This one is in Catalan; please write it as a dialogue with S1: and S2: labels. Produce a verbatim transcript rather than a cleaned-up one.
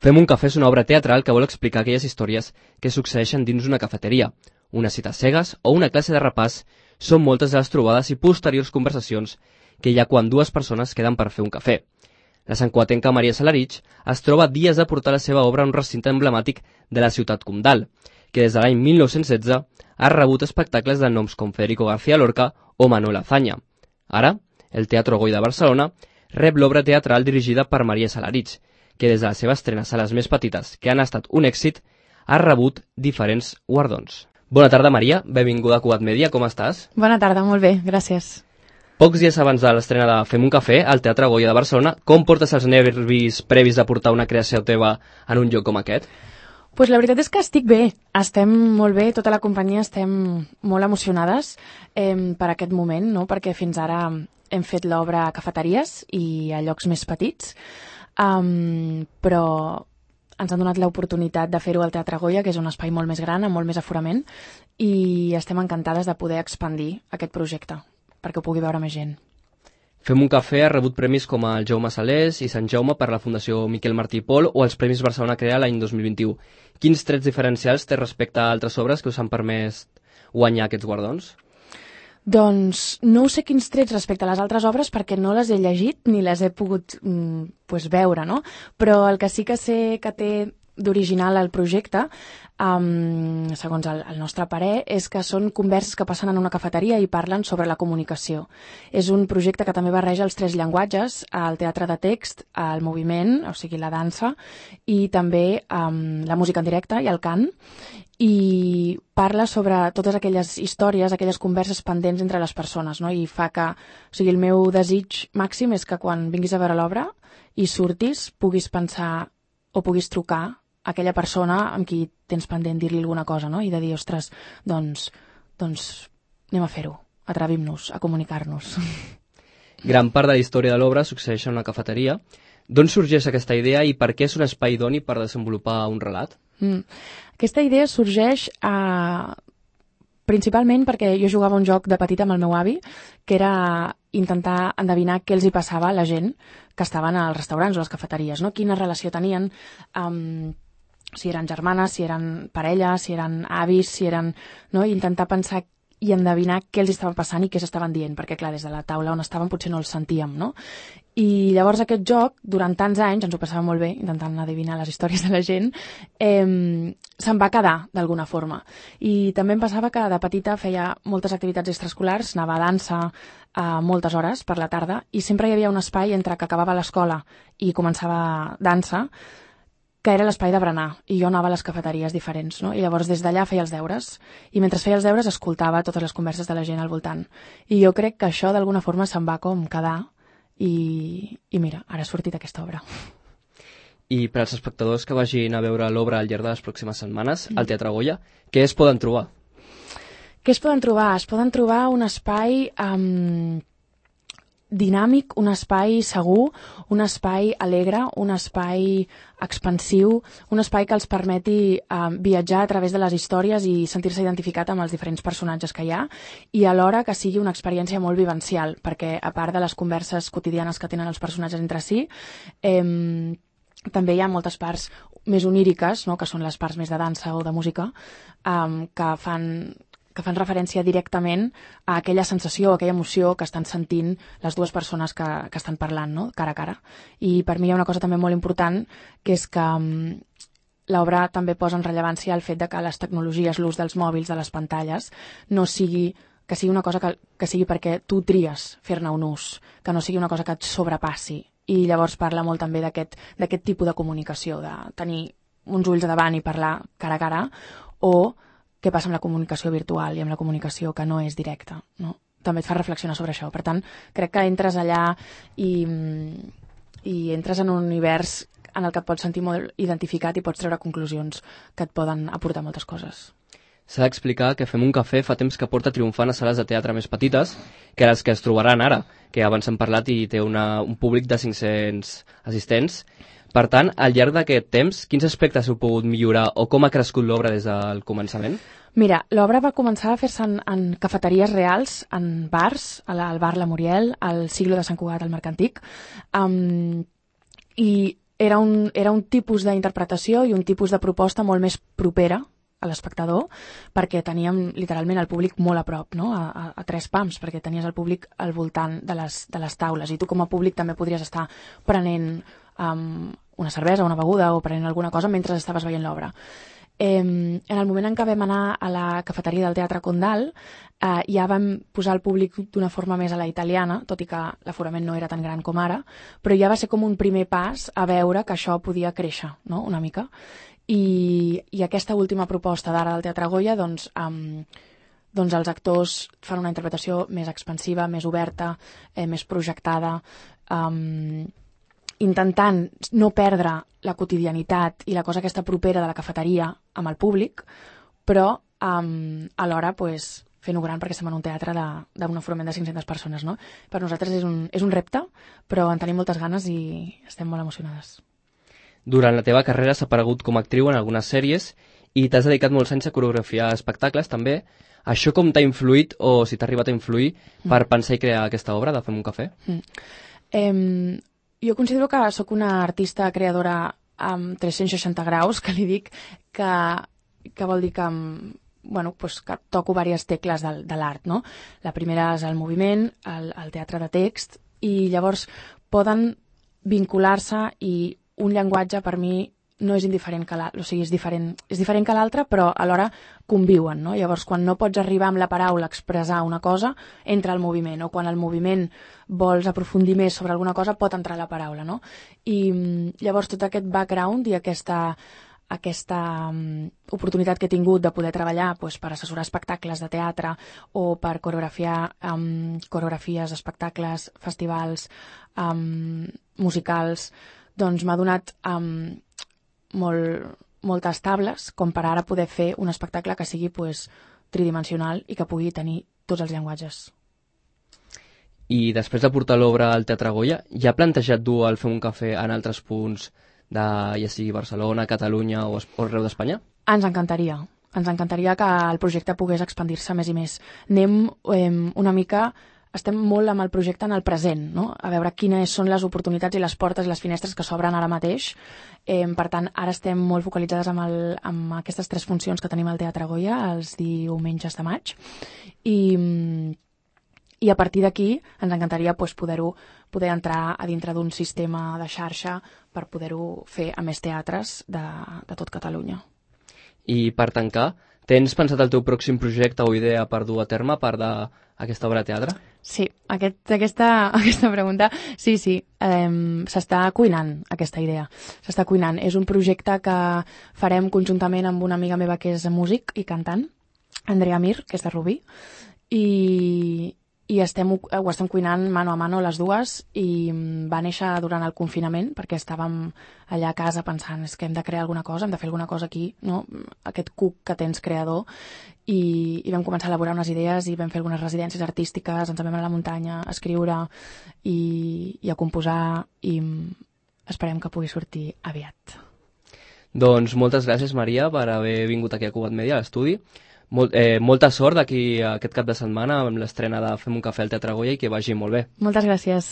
S1: Fem un cafè és una obra teatral que vol explicar aquelles històries que succeeixen dins una cafeteria, una cita cegues o una classe de repàs. Són moltes de les trobades i posteriors conversacions que hi ha quan dues persones queden per fer un cafè. La santcugatenca Maria Salarich es troba dies de portar la seva obra a un recinte emblemàtic de la ciutat comtal, que des de l'any mil nou-cents setze ha rebut espectacles de noms com Federico García Lorca o Manuel Azaña. Ara, el Teatro Goya de Barcelona rep l'obra teatral dirigida per Maria Salarich, que des de la seva estrena a sales més petites, que han estat un èxit, ha rebut diferents guardons. Bona tarda, Maria. Benvinguda a Cugat Mèdia. Com estàs?
S2: Bona tarda, molt bé, gràcies.
S1: Pocs dies abans de l'estrena de Fem un cafè al Teatre Goya de Barcelona, com portes els nervis previs de portar una creació teva en un lloc com aquest?
S2: Pues la veritat és que estic bé, estem molt bé, tota la companyia estem molt emocionades eh, per aquest moment, no? Perquè fins ara hem fet l'obra a cafeteries i a llocs més petits, um, però ens han donat l'oportunitat de fer-ho al Teatre Goya, que és un espai molt més gran, amb molt més aforament, i estem encantades de poder expandir aquest projecte, perquè ho pugui veure més gent.
S1: Fem un cafè ha rebut premis com el Jaume Salés i Sant Jaume per la Fundació Miquel Martí i Pol o els Premis Barcelona Crea l'any dos mil vint-i-u. Quins trets diferencials té respecte a altres obres que us han permès guanyar aquests guardons?
S2: Doncs no sé quins trets respecte a les altres obres perquè no les he llegit ni les he pogut mm, pues, veure, no? Però el que sí que sé que té d'original el projecte, um, segons el, el nostre parer, és que són converses que passen en una cafeteria i parlen sobre la comunicació. És un projecte que també barreja els tres llenguatges, el teatre de text, el moviment, o sigui la dansa, i també um, la música en directe i el cant, i parla sobre totes aquelles històries, aquelles converses pendents entre les persones, no? I fa que, o sigui, el meu desig màxim és que quan vinguis a veure l'obra i surtis puguis pensar o puguis trucar aquella persona amb qui tens pendent dir-li alguna cosa, no? I de dir, ostres, doncs, doncs anem a fer-ho, atrevim-nos a comunicar-nos.
S1: Gran part de la història de l'obra succeeix en una cafeteria. D'on sorgeix aquesta idea i per què és un espai idoni per desenvolupar un relat?
S2: Mm. Aquesta idea sorgeix a... principalment perquè jo jugava un joc de petita amb el meu avi, que era intentar endevinar què els hi passava a la gent que estaven als restaurants o a les cafeteries, no? Quina relació tenien, um, si eren germanes, si eren parelles, si eren avis, si eren... no? I intentar pensar i endevinar què els estava passant i què s'estaven dient, perquè clar, des de la taula on estaven potser no els sentíem, no? I llavors aquest joc, durant tants anys, ens ho passàvem molt bé, intentant adivinar les històries de la gent, eh, se'n va quedar d'alguna forma. I també em passava que de petita feia moltes activitats extraescolars, anava a dansa a moltes hores per la tarda, i sempre hi havia un espai entre que acabava l'escola i començava dansa, que era l'espai de berenar, i jo anava a les cafeteries diferents, no? I llavors des d'allà feia els deures, i mentre feia els deures escoltava totes les converses de la gent al voltant. I jo crec que això d'alguna forma se'n va com quedar, i, i mira, ara ha sortit aquesta obra.
S1: I per als espectadors que vagin a veure l'obra al llarg de les pròximes setmanes al Teatre Goya, què es poden trobar?
S2: Què es poden trobar? Es poden trobar un espai um, dinàmic, un espai segur, un espai alegre, un espai expansiu, un espai que els permeti uh, viatjar a través de les històries i sentir-se identificat amb els diferents personatges que hi ha, i alhora que sigui una experiència molt vivencial, perquè a part de les converses quotidianes que tenen els personatges entre si, eh, també hi ha moltes parts més oníriques, no?, que són les parts més de dansa o de música, um, que fan... que fan referència directament a aquella sensació, a aquella emoció que estan sentint les dues persones que, que estan parlant, no?, cara a cara. I per mi hi ha una cosa també molt important, que és que um, l'obra també posa en rellevància el fet de que les tecnologies, l'ús dels mòbils, de les pantalles, no sigui, que sigui una cosa que, que sigui perquè tu tries fer-ne un ús, que no sigui una cosa que et sobrepassi. I llavors parla molt també d'aquest d'aquest tipus de comunicació, de tenir uns ulls davant i parlar cara a cara, o què passa amb la comunicació virtual i amb la comunicació que no és directa, no? També et fa reflexionar sobre això. Per tant, crec que entres allà i, i entres en un univers en el que et pots sentir molt identificat i pots treure conclusions que et poden aportar moltes coses.
S1: S'ha d'explicar que Fem un cafè fa temps que porta triomfant a sales de teatre més petites que les que es trobaran ara, que abans hem parlat i té una, un públic de cinc-cents assistents. Per tant, al llarg d'aquest temps, quins aspectes heu pogut millorar o com ha crescut l'obra des del començament?
S2: Mira, l'obra va començar a fer-se en, en cafeteries reals, en bars, al bar La Muriel, al Siglo de Sant Cugat, al Mercantic, um, i era un, era un tipus d'interpretació i un tipus de proposta molt més propera a l'espectador, perquè teníem literalment el públic molt a prop, no? a, a, a tres pams, perquè tenies el públic al voltant de les, de les taules, i tu com a públic també podries estar prenent um, una cervesa, una beguda o prenent alguna cosa mentre estaves veient l'obra. Eh, en el moment en què vam anar a la cafeteria del Teatre Condal, eh, ja vam posar el públic d'una forma més a la italiana, tot i que l'aforament no era tan gran com ara, però ja va ser com un primer pas a veure que això podia créixer, no? Una mica. I, i aquesta última proposta d'ara del Teatre Goya, doncs, um, doncs els actors fan una interpretació més expansiva, més oberta, eh, més projectada, um, intentant no perdre la quotidianitat i la cosa aquesta propera de la cafeteria amb el públic, però um, alhora pues, fent-ho gran perquè estem en un teatre d'un aforament de cinc-centes persones. No? Per nosaltres és un, és un repte, però en tenim moltes ganes i estem molt emocionades.
S1: Durant la teva carrera s'ha aparegut com a actriu en algunes sèries i t'has dedicat molts anys a coreografiar espectacles també. Això com t'ha influït, o si t'ha arribat a influir, mm. per pensar i crear aquesta obra de Fem un cafè?
S2: Mm. Eh, jo considero que sóc una artista creadora amb tres-cents seixanta graus, que li dic, que, que vol dir que, bueno, pues que toco diverses tecles de, de l'art. No? La primera és el moviment, el, el teatre de text, i llavors poden vincular-se i un llenguatge per mi no és indiferent que l'altre, o sigui, és diferent, és diferent que l'altre, però alhora conviuen, no? Llavors, quan no pots arribar amb la paraula a expressar una cosa, entra el moviment, o quan el moviment vols aprofundir més sobre alguna cosa, pot entrar la paraula, no? I llavors tot aquest background i aquesta, aquesta um, oportunitat que he tingut de poder treballar pues, per assessorar espectacles de teatre o per coreografiar um, coreografies, espectacles, festivals, um, musicals, doncs m'ha donat um, molt, moltes tables com per ara poder fer un espectacle que sigui pues, tridimensional i que pugui tenir tots els llenguatges.
S1: I després de portar l'obra al Teatre Goya, ja ha plantejat dur el Fem un cafè en altres punts de, ja sigui Barcelona, Catalunya o, o arreu d'Espanya?
S2: Ens encantaria. Ens encantaria que el projecte pogués expandir-se més i més. Anem eh, una mica... Estem molt amb el projecte en el present, no? A veure quines són les oportunitats i les portes i les finestres que s'obren ara mateix. Eh, per tant, ara estem molt focalitzades amb, el, amb aquestes tres funcions que tenim al Teatre Goya els diumenges de maig. I, i a partir d'aquí ens encantaria pues, poder-ho poder entrar a dintre d'un sistema de xarxa per poder-ho fer a més teatres de, de tot Catalunya.
S1: I per tancar, tens pensat el teu pròxim projecte o idea per dur a terme a part d'aquesta obra de teatre?
S2: Sí, aquest, aquesta, aquesta pregunta, sí, sí, eh, s'està cuinant aquesta idea, s'està cuinant. És un projecte que farem conjuntament amb una amiga meva que és músic i cantant, Andrea Mir, que és de Rubí, i, i estem, ho estem cuinant mano a mano les dues, i va néixer durant el confinament perquè estàvem allà a casa pensant és que hem de crear alguna cosa, hem de fer alguna cosa aquí, no? Aquest cuc que tens creador, i, i vam començar a elaborar unes idees i vam fer algunes residències artístiques, ens vam anar a la muntanya a escriure i, i a composar, i esperem que pugui sortir aviat.
S1: Doncs moltes gràcies, Maria, per haver vingut aquí a Cugat Media, a l'estudi. Molt, eh, molta sort d'aquí aquest cap de setmana amb l'estrena de Fem un cafè al Teatre Goya i que vagi molt bé.
S2: Moltes gràcies.